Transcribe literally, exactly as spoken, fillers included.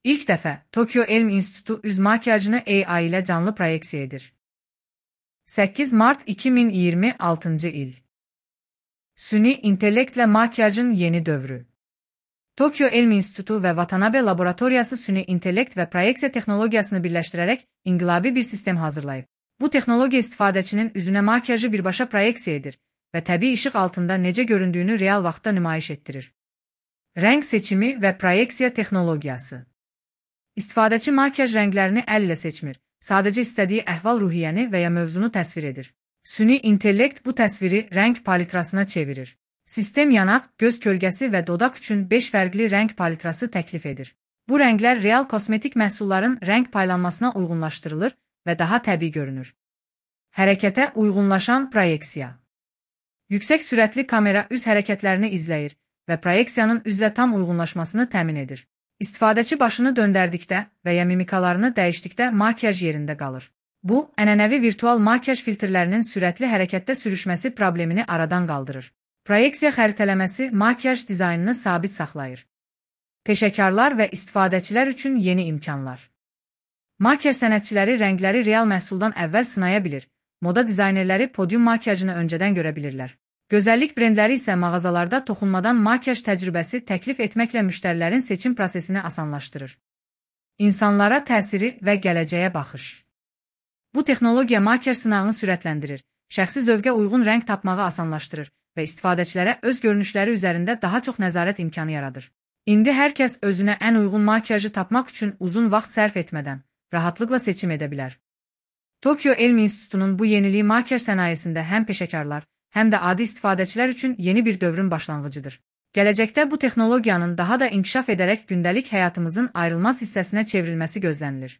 İlk dəfə Tokyo Elm İnstitutu üz makyajını A I ilə canlı proyeksiya edir. səkkiz mart iki min iyirmi altıncı il. Süni intellektlə makyajın yeni dövrü. Tokyo Elm İnstitutu və Watanabe Laboratoriyası süni intellekt və proyeksiya texnologiyasını birləşdirərək inqilabi bir sistem hazırlayıb. Bu texnologiya istifadəçinin üzünə makyajı birbaşa proyeksiya edir və təbii işıq altında necə göründüyünü real vaxtda nümayiş etdirir. Rəng seçimi və proyeksiya texnologiyası. İstifadəçi makyaj rənglərini əl ilə seçmir, sadəcə istədiyi əhval-ruhiyyəni və ya mövzunu təsvir edir. Süni intellekt bu təsviri rəng palitrasına çevirir. Sistem yanaq, göz kölgəsi və dodaq üçün beş fərqli rəng palitrası təklif edir. Bu rənglər real kosmetik məhsulların rəng paylanmasına uyğunlaşdırılır və daha təbii görünür. Hərəkətə uyğunlaşan proyeksiya. Yüksək sürətli kamera üz hərəkətlərini izləyir və proyeksiyanın üzlə tam uyğunlaşmasını təmin edir. İstifadəçi başını döndərdikdə və ya mimikalarını dəyişdikdə makyaj yerində qalır. Bu, ənənəvi virtual makyaj filtrlərinin sürətli hərəkətdə sürüşməsi problemini aradan qaldırır. Proyeksiya xəritələməsi makyaj dizaynını sabit saxlayır. Peşəkarlar və istifadəçilər üçün yeni imkanlar. Makyaj sənətçiləri rəngləri real məhsuldan əvvəl sınaya bilir, moda dizaynerləri podium makyajını öncədən görə bilirlər. Gözəllik brendləri isə mağazalarda toxunmadan makyaj təcrübəsi təklif etməklə müştərilərin seçim prosesini asanlaşdırır. İnsanlara təsiri və gələcəyə baxış. Bu texnologiya makyaj sınağını sürətləndirir, şəxsi zövqə uyğun rəng tapmağı asanlaşdırır və istifadəçilərə öz görünüşləri üzərində daha çox nəzarət imkanı yaradır. İndi hər kəs özünə ən uyğun makyajı tapmaq üçün uzun vaxt sərf etmədən rahatlıqla seçim edə bilər. Tokyo Elm İnstitutunun bu yeniliyi makyaj sənayesində həm peşəkarlar, həm də adi istifadəçilər üçün yeni bir dövrün başlanğıcıdır. Gələcəkdə bu texnologiyanın daha da inkişaf edərək gündəlik həyatımızın ayrılmaz hissəsinə çevrilməsi gözlənilir.